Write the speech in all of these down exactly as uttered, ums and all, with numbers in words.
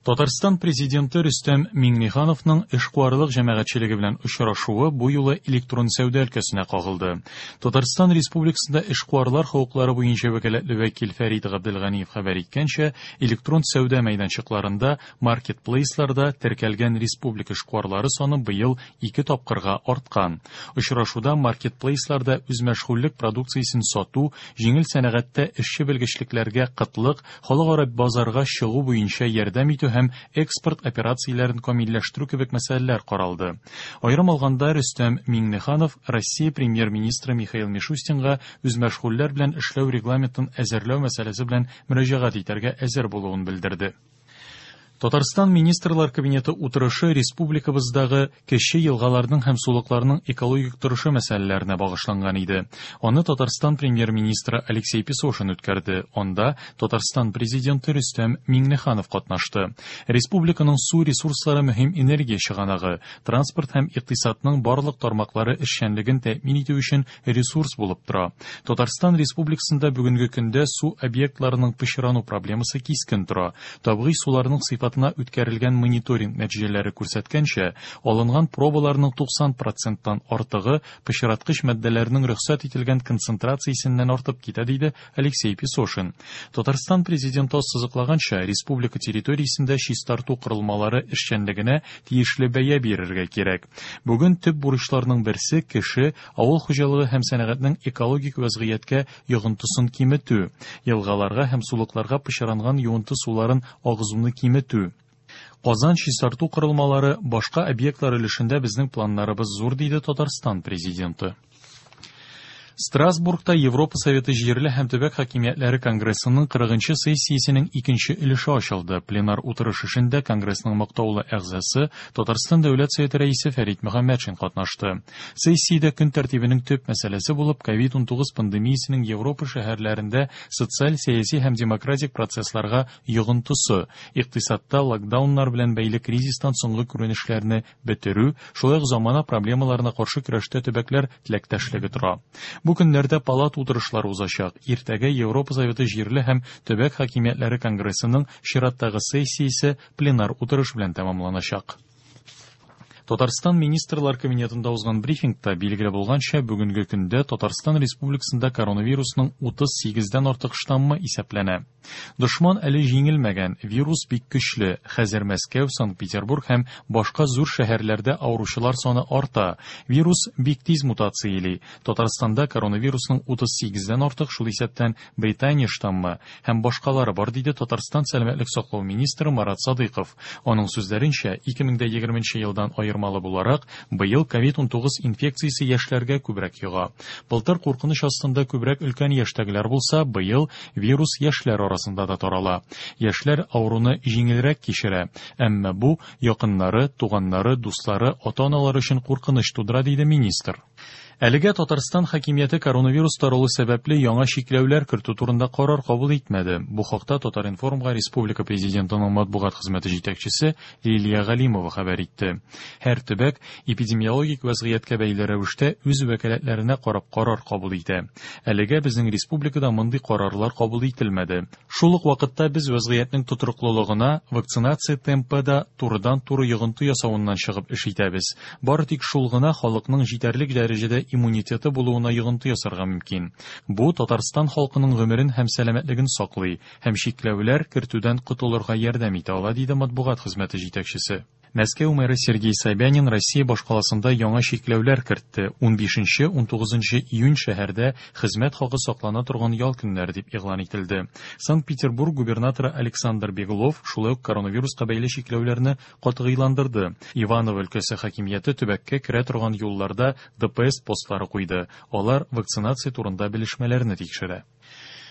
Татарстан Президенты Рөстәм Миңнехановның эшкуарлык җәмәгатьчелеге белән очрашуы бу юлы электрон сәүдә өлкәсенә кагылды. Татарстан Республикасында эшкуарлар хокуклары буенча вәкаләтле вәкил Фәрит Габделганиев хәбәр иткәнчә, электрон сәүдә мәйданчыкларында, маркетплейсларда теркәлгән республика эшкуарлары саны быел ике тапкырга арткан. Очрашуда маркетплейсларда үзмәшгульлек продукциясен сату, җиңел сәнәгатьтә эшче белгечлекләргә кытлык, халыкара базарга чыгу буенча ярдәм итү һәм экспорт операцияләрен камилләштерү кебек мәсьәләләр каралды. Аерым алганда, Рөстәм Миңнеханов Россия премьер-министры Михаил Мишустинга үзмәшгульләр белән эшләү регламентын әзерләү мәсьәләсе белән мөрәҗәгать итәргә әзер булуын белдерде. Татарстан Министрлар Кабинеты утырышы республикабыздагы кече елгаларның һәм сулыкларның экологик торышы мәсьәләләренә багышланган иде. Аны Татарстан премьер-министры Алексей Песошин үткәрде. Анда Татарстан президенты Рөстәм Миңнеханов катнашты. Республиканың су ресурслары мөһим энергия чыганагы, транспорт һәм икътисадның барлык тармаклары эшчәнлеген тәэмин итү өчен ресурс булып тора. Татарстан Республикасында бүгенге көндә су объектларының пычрану проблемасы кискен тора. Табигый суларның сыйфатына үткәрелгән мониторинг нәтиҗәләре күрсәткәнчә, алынган пробаларның туксан проценттан артыгы пычраткыч матдәләрнең рөхсәт ителгән концентрациясеннән артып китә, диде Алексей Песошин. Татарстан президенты ассызыклаганча, республика территориясендә чистарту корылмалары эшчәнлегенә тиешле бәя бирергә кирәк. Бүген төп бурычларның берсе кеше, авыл хуҗалыгы һәм сәнәгатьнең экологик вазгыятькә йогынтысын киметү, елгаларга һәм сулыкларга пычранган юынты суларын агызуны киметү. Казан чистарту корылмалары башка объектлар өлешендә безнең планнарыбыз зур, диде Татарстан президенты. Страсбургта Европа Советы җирле һәм төбәк хакимиятләре конгрессының кырыгынчы сессиясенең икенче өлеше ачылды. Пленар утырыш эшендә конгрессның мактаулы әгъзасы Татарстан Дәүләт Советы рәисе Фәрит Мөхәммәтшин катнашты. Сессиядә көн тәртибенең төп мәсьәләсе булып ковид унтугыз пандемиясенең Европа шәһәрләрендә социаль, сәяси һәм демократик процессларга йогынтысы, икътисадта локдауннар белән бәйле кризистан соңгы күренешләрне бетерү, шулай ук замана проблемаларына каршы көрәштә төбәкләр теләктәшлеге тора. Бу көннәрдә палата утырышлары узачак. Иртәгә Европа Советы җирле һәм төбәк хакимиятләре конгрессының чираттагы сессиясе пленар утырыш белән тәмамланачак. Татарстан Министрлар Кабинетында узган брифингта билгеле булганча, бүгенге көндә Татарстан Республикасында коронавирусның утыз сигездән артык штаммы исәпләнә. Дошман әле җиңелмәгән, вирус бик көчле. Хәзер Мәскәү, Санкт-Петербург һәм башка зур шәһәрләрдә авыручылар саны арта. Вирус бик тиз мутацияли. Татарстанда коронавирусның утыз сигездән артык, шул исәптән Британия штаммы һәм башкалары бар, диде Татарстан сәламәтлек саклау министры Марат Садыйков. Аның сүзләренчә, ике мең дә егерменче елдан аермалы буларак, быел ковид унтугыз инфекциясе яшьләргә күбрәк йога. Былтыр куркыныч астында күбрәк өлкән яшьтәгеләр булса, быел вирус яшьләр арасында да тарала. Яшьләр авыруны җиңелрәк кичерә, әмма бу якыннары, туганнары, дуслары, ата-аналары өчен куркыныч тудыра, диде министр. Әлегә Татарстан хакимияте коронавирус таралу сәбәпле яңа чикләүләр кертү турында карар кабул итмәде. Бу хакта Татар-информга Республика Президентының матбугат хезмәте җитәкчесе Лилия Галимова хәбәр итте. Һәр төбәк эпидемиологик вазгыятькә бәйле рәвештә үз вәкаләтләренә карап карар кабул итә. Әлегә безнең республикада мондый карарлар кабул ителмәде. Шул ук вакытта без вазгыятьнең тотрыклылыгына вакцинация темпы да турыдан-туры йогынты ясавыннан чыгып эш итәбез. Бары тик шул гына халыкның җитәрлек дәрәҗәдә иммунитеты булуына йогынты ясарга мөмкин. Бу Татарстан халкының гомерен һәм сәламәтлеген саклый һәм чикләүләр кертүдән котылырга ярдәм итә ала, диде матбугат хезмәте җитәкчесе. Мәскәү мэры Сергей Собянин Россия башкаласында яңа чикләүләр кертте. Унбишенче, унтугызынчы июнь шәһәрдә хезмәт хакы саклана торган ял көннәре дип игълан ителде. Санкт-Петербург губернаторы Александр Беглов шулай ук коронавируска бәйле чикләүләрне катгыйландырды. Иваново өлкәсе хакимияте төбәккә керә торган юлларда Д П С постлары куйды. Алар вакцинация турында белешмәләрне тикшерә.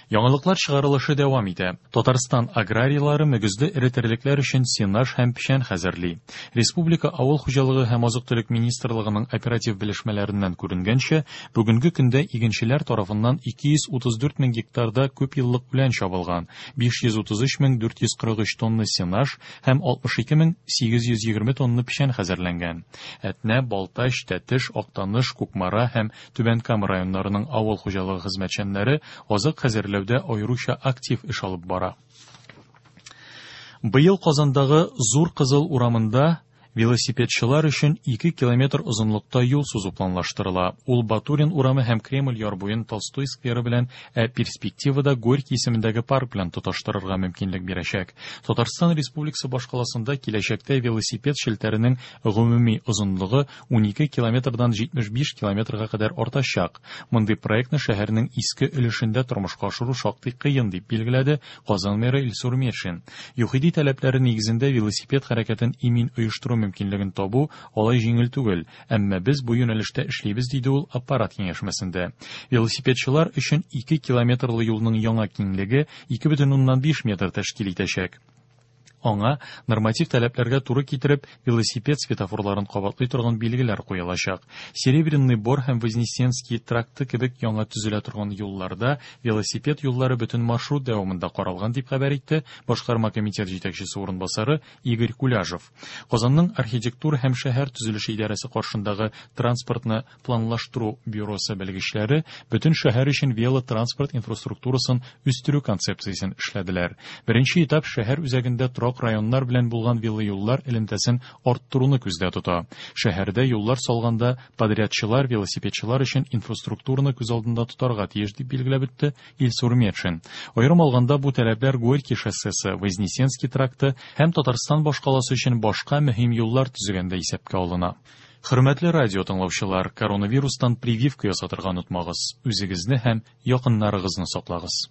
Яңалыклар чыгарылышы дәвам итә. Татарстан аграрийлары мөгезле эре терлекләр өчен сенаж һәм печән хәзерли. Республика Авыл хуҗалыгы һәм азык-төлек министрлыгының оператив белешмәләреннән күренгәнчә, бүгенге көндә игенчеләр тарафыннан ике йөз утыз дүрт мең гектарда күп еллык үлән чабылган, биш йөз утыз өч мең дүрт йөз кырык өч тонна сенаж һәм алтмыш ике мең сигез йөз егерме тонна печән хәзерләнгән. Әтнә, Балтач, Тәтеш, Актаныш, Кукмара һәм Түбән Кама районнарының авыл хуҗалыгы хезмәтчәннәре азык хәзерләүдә аеруча актив эш алып бара. Быел Казандагы Зур Кызыл урамында велосипедчылар өчен ике километр озынлыкта юл сузу планлаштырыла. Ул Батурин урамы һәм Кремль яр буен Толстой скверы белән, ә перспективада Горький исемендәге парк белән тоташтырырга мөмкинлек бирәчәк. Татарстан Республикасы башкаласында киләчәктә велосипед челтәренең гомуми озынлыгы унике километрдан җитмеш биш километрга кадәр артачак. Мондый проектны шәһәрнең иске өлешендә тормышка ашыру шактый кыен, дип билгеләде Казан мэры Илсур Метшин. ЮХИДИ таләпләре нигезендә велосипед хәрәкәтен имин оештыру мөмкинлеген табу алай җиңел түгел, әмма без бу юнәлештә эшлибез, диде ул аппарат киңәшмәсендә. Велосипедчылар өчен ике километрлы юлның яңа киңлеге ике бөтен уннан биш метр тәшкил итәчәк. Аңа норматив таләпләргә туры китереп велосипед светофорларын кабатлый торган билгеләр куелачак. Серебряный Бор һәм Вознесенский тракты кебек яңа төзелә торган юлларда велосипед юллары бөтен маршрут дәвамында каралган, дип хәбәр итте башкарма комитет җитәкчесе урынбасары Игорь Куляжев. Казанның архитектура һәм шәһәр төзелеше идарәсе каршындагы транспортны планлаштыру бюросы белгечләре бөтен шәһәр өчен велотранспорт инфраструктурасын үстерү концепциясен эшләделәр. Беренче этап шәһәр үзәгендә торак районнар белән булган велоюллар элемтәсен арттыруны күздә тота. Шәһәрдә юллар салганда подрядчылар велосипедчылар өчен инфраструктураны күз алдында тотарга тиеш, дип билгеләп үтте Илсур Метшин. Аерым алганда бу таләпләр Горький шоссесы, Вознесенский тракты һәм Татарстан башкаласы өчен башка мөһим юллар төзегәндә исәпкә алына. Хөрмәтле радио тыңлаучылар, коронавирустан прививка ясатырга онытмагыз. Үзегезне һәм якыннарыгызны саклагыз.